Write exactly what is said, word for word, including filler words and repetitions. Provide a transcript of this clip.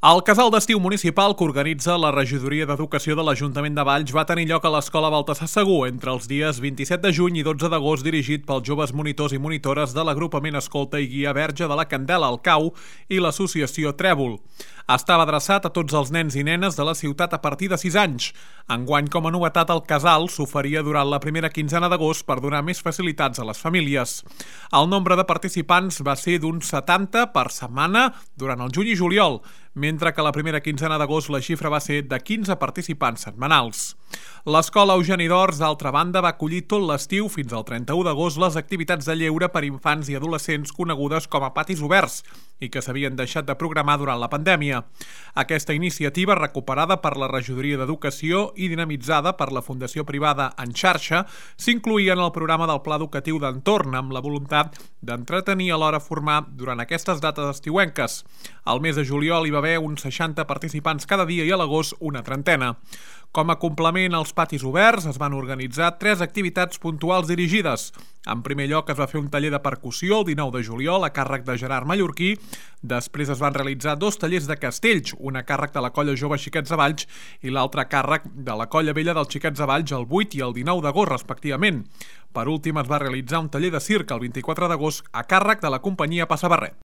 El casal d'estiu municipal que organitza la Regidoria d'Educació de l'Ajuntament de Valls va tenir lloc a l'Escola Baltasar Segur entre els dies vint-i-set de juny i dotze d'agost, dirigit pels joves monitors i monitores de l'agrupament Escolta i Guia Verge de la Candela, el Cau, i l'associació Trèvol. Estava adreçat a tots els nens i nenes de la ciutat a partir de sis anys. Enguany, com a novetat, el casal s'oferia durant la primera quinzena d'agost per donar més facilitats a les famílies. El nombre de participants va ser d'uns setanta per setmana durant el juny i juliol, mentre que la primera quinzena d'agost la xifra va ser de quinze participants setmanals. L'Escola Eugeni d'Ors, d'altra banda, va acollir tot l'estiu fins al trenta-u d'agost les activitats de lleure per infants i adolescents conegudes com a patis oberts i que s'havien deixat de programar durant la pandèmia. Aquesta iniciativa, recuperada per la Regidoria d'Educació i dinamitzada per la Fundació Privada En Xarxa, s'incloïa en el programa del Pla Educatiu d'Entorn amb la voluntat d'entretenir a l'hora formar durant aquestes dates estiuenques. Al mes de juliol hi va haver uns seixanta participants cada dia i a l'agost una trentena. Com a complement als patis oberts es van organitzar tres activitats puntuals dirigides. En primer lloc es va fer un taller de percussió el dinou de juliol a càrrec de Gerard Mallorquí. Després es van realitzar dos tallers de castells, un a càrrec de la Colla Jove Xiquets de Valls i l'altre a càrrec de la Colla Vella dels Xiquets de Valls el vuit i el dinou d'agost respectivament. Per últim es va realitzar un taller de circ el vint-i-quatre d'agost a càrrec de la companyia Passabarret.